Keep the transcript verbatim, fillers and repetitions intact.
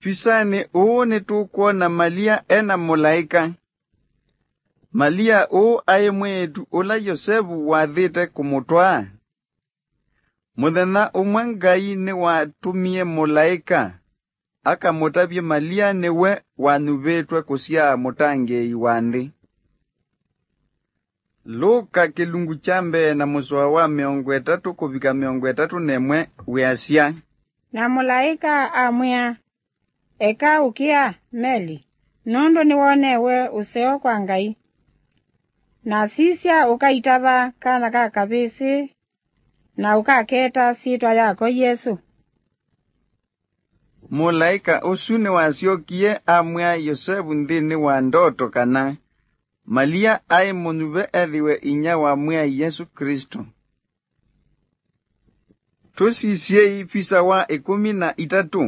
Pisanĩ ũũ nĩtũkwona Malia e na mũlaĩka. Malia ũũ aĩ mwĩĩtu ũla Yosevu wathĩte kũmũtwaa. Mũthenya ũmwe Ngai nĩwatũmie mũlaĩka akamũtavye Malia nĩwe wanyuvĩtwe kũsyaa mũtangĩĩi wa nthĩ. Luka kĩlungu kya mbee na mũsoa wa mĩongo ĩtatũ kũvika mĩongo ĩtatũ na ĩmwe wĩasya, Na mũlaĩka amwĩa, "Eka ũkĩa, Meli, nũndũ nĩwonewe ũseo kwa Ngai. Na sisya, ũkaitava kana ka kavĩsĩ, na ũkaketa syĩtwa yako Yesũ." Mũlaĩka ũsu nĩwasyokie amwĩa Yosevu nthĩnĩ wa ndoto kana Malia aĩ mũnyuve ethĩwe inyia wa Mwĩai Yesũ Klĩsto. Tũsisyei visa wa ĩkũmi na itatũ.